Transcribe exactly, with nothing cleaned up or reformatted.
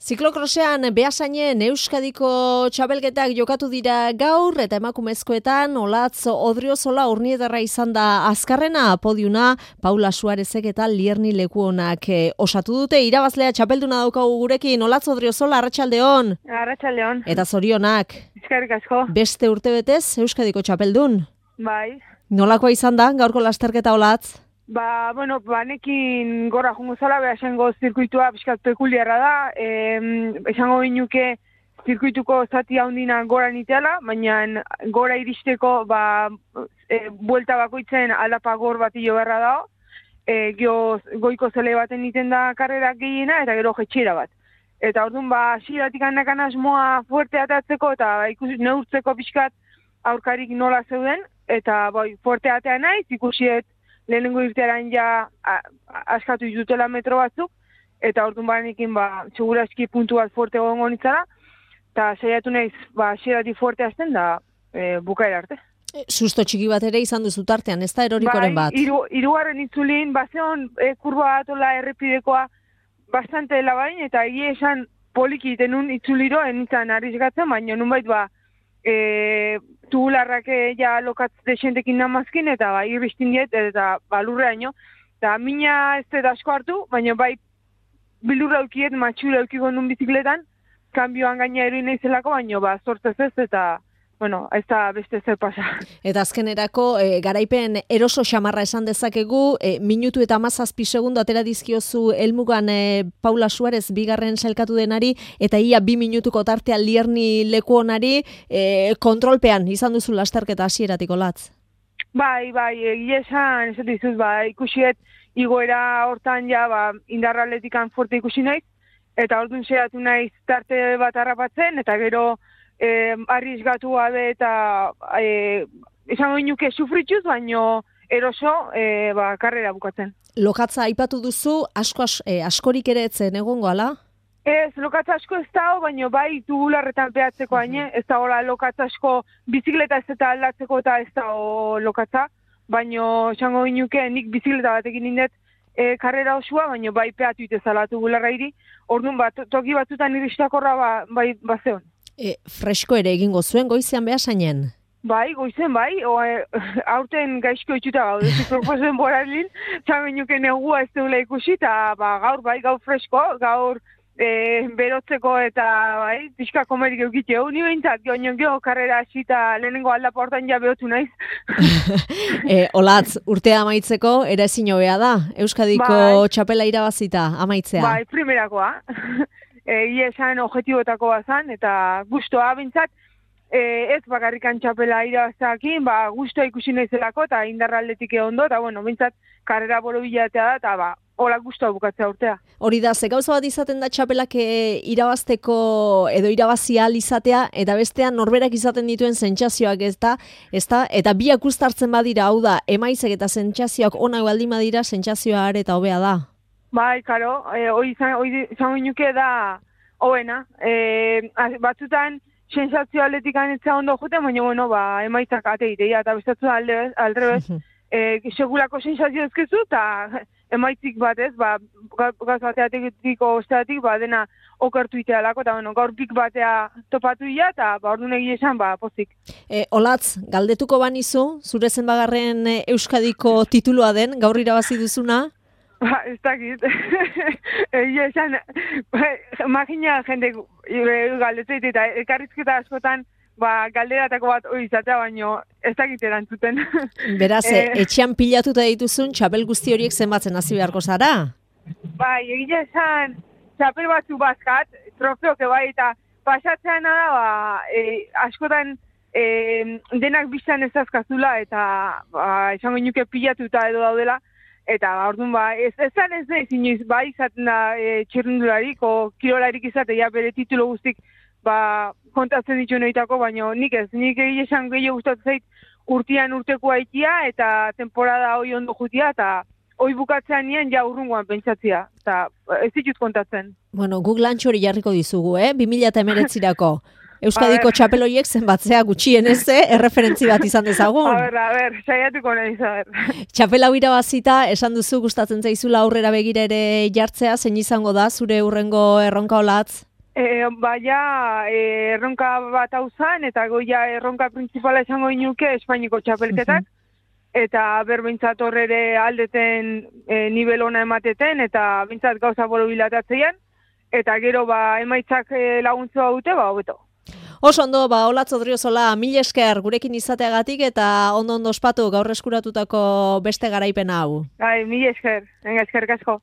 Ziklokrosean Beasainen Euskadiko txapelketak jokatu dira gaur eta emakumezkoetan Olatz Odriozola Urniedarra izan da azkarrena, podiuna Paula Suarezek eta Lierni Lekuonak eh, osatu dute. Irabazlea txapelduna daukagu gurekin. Olatz Odriozola, arratsaldeon. Arratsaldeon. Eta zorionak. Eskerrik asko. Beste urtebetez Euskadiko txapeldun. Bai. Nolakoa izan da gaurko lasterketa, Olatz? Ba, bueno, banekin gora jungo zala, Beasaingo zirkuitua pixkat pekuliarra da, e, esango binuke zirkuituko zati handina gora niteala, baina gora iristeko ba, e, buelta bakoitzen aldapa gor bat hilo beharra da, e, gio, goiko zele baten niten da karrerak gehiena eta gero jetxera bat. Eta orduan, ba, hasieratik handakan asmoa fuerte atatzeko eta ikusi neurtzeko pixkat aurkarik nola zeuden, eta bai, fuerte atea naiz, ikusiet lehenengo irtearan ja a, a, askatu ditutela metro batzuk, eta orduan banekin ba, segurazki puntu bat fuerte gongo nitzara, eta saiatu naiz, ba, hasieratik fuerte azten da e, bukaera arte. Susto txiki bat ere izan duzu tartean, ez da erorikoren bat? Bai, iru, irugarren itzulin, bazeon e, kurba atola errepidekoa bastante labain, eta egia esan poliki tenun itzuliro, enitzan arrizgatzen, baina nunbait ba, e, tubularrak ja lokatz desentekin namazkin, eta ba, irristin diet, eta ba, lurreaino. Eta mina ez da asko hartu, baina bai bilurra eukiet, matxura eukiko nun bizikletan, kanbioan gaina eruin naizelako, baina ba, sortzez ez, eta bueno, ez da beste zer pasa. Eta azkenerako, e, garaipen eroso xamarra esan dezakegu, e, minutu eta hamazazpi segundo atera dizkiozu helmugan e, Paula Suarez bigarren sailkatu denari, eta ia bi minutuko tartea Lierni Lekuonari, e, kontrolpean izan duzu lasterketa hasieratik, Olatz. Bai, bai, egia esan, ez dizuz, ba, ikusiet igoera hortan ja, ba, indarra atletikan fuerte ikusi naiz, eta orduan saiatu naiz tarte bat harrapatzen, eta gero Eh, arrizgatu gabe eta eh, esango inuke sufrituz, baino eroso eh, ba, karrera bukatzen. Lokatza aipatu duzu, asko as, eh, askorik ere etzen egongo, ala? Ez, lokatza asko ez dago, baino bai tubularretan peatzeko haine, ez dagoela lokatza asko bizikleta ez eta aldatzeko eta ez dago lokatza, baino esango inuke nik bizikleta batekin indet e, karrera osua, baino bai peatu itezala tubularra iri, orduan bat, toki batzutan iristakorra ba, bai bazeon. E, fresko ere egingo zuen goizean Beasainen? Bai, goizen bai, o, e, aurten gaizko itxuta gaude, proposen boralin, txamenuke negua ez deula ikusi, eta ba, gaur bai, gaur fresko, gaur e, berotzeko eta bai, pixka komerik eukitxe, uni behintzat, gionon geho karrera hasi eta lehenengo aldapa hortan ja behotu naiz. e, Olatz, urtea amaitzeko, ere ezin hobea da, Euskadiko bai. Txapela irabazita amaitzea? Bai, primerakoa. Egia esan objektibotako bazan, eta gustoa bintzat, e, ez bakarrikan txapela irabaztakin, ba, gustoa ikusi naizelako, eta indarra aldetik ondo, eta bueno, bintzat, karrera boro bilatea da, eta ba, hola gustoa bukatzea urtea. Hori da, ze gauza bat izaten da txapelak e, irabazteko edo irabazi ahal izatea, eta bestean norberak izaten dituen sentsazioak ez da, ez da, eta biak uztartzen badira, hau da, emaitzek eta sentsazioak onak baldin badira, sentsazioa are eta hobea da. Bai, karo, e, hori izango inuke da hoena. E, batzutan, sensazio atletikan etza ondo joten, baina, bueno, ba, emaitzak ateitea, eta bestatzu alde, aldrebez, e, segulako sensazio ezkezu, eta emaitzik batez, ba, gaz bateatekiko osteatik, ba, dena okertu itealako, eta, bueno, gaur pik batea topatu ia, eta, ba, orduan egia esan, ba, pozik. E, Olatz, galdetuko banizu, zure zenbagarren Euskadiko titulua den, gaur irabazi duzuna? Ba, ez dakit. Egia esan, magina jende galdetzeit eta elkarrizketa askotan ba, galderatako bat hori izatea, baino ez dakit erantzuten. Beraz, e, etxean pilatuta dituzun, txapel guzti horiek zenbatzen hasi beharko zara? Bai, egia esan, txapel batzu bazkat, trofeoke bai, eta pasatzean da, ba, e, askotan e, denak biztan ez azkazula, eta ba, esango inuke pilatuta edo daudela, eta orduan ba, ez ezan ez da inoiz, ba, izaten da e, txirrindularik, o kirolarik izatea bere titulo guztik ba, kontatzen ditu noitako, baina nik ez, nik egia esan gehiago gustatzen zait urtean urteko haitia, eta temporada hoi ondo jutia, eta hoi bukatzean nien ja urrungoan pentsatzea, eta ez ditut kontatzen. Bueno, guk lantxo hori jarriko dizugu, eh? bi mila hemeretzirako. Euskadiko txapeloiek zenbatzea gutxienez, eh? Erreferentzi bat izan dezagun. A ber, a ber, saiatuko nahiz, a ber. Txapela hau irabazita, esan duzu gustatzen zaizula aurrera begira ere jartzea, zein izango da zure hurrengo erronka, Olatz? E, baina e, erronka bat hau zan, eta goia erronka principala esango inuke Espainiko txapelketak, eta berbintzat horre aldeten e, nivel ona emateten, eta bintzat gauza bolo bilatatzean, eta gero ba emaitzak e, laguntzua dute, ba hobeto. Oso ondo, ba, Olatz Odriozola, mil esker gurekin izateagatik eta ondo ondo ospatu gaur eskuratutako beste garaipena hau. Bai, mil esker, venga, eskerrik asko.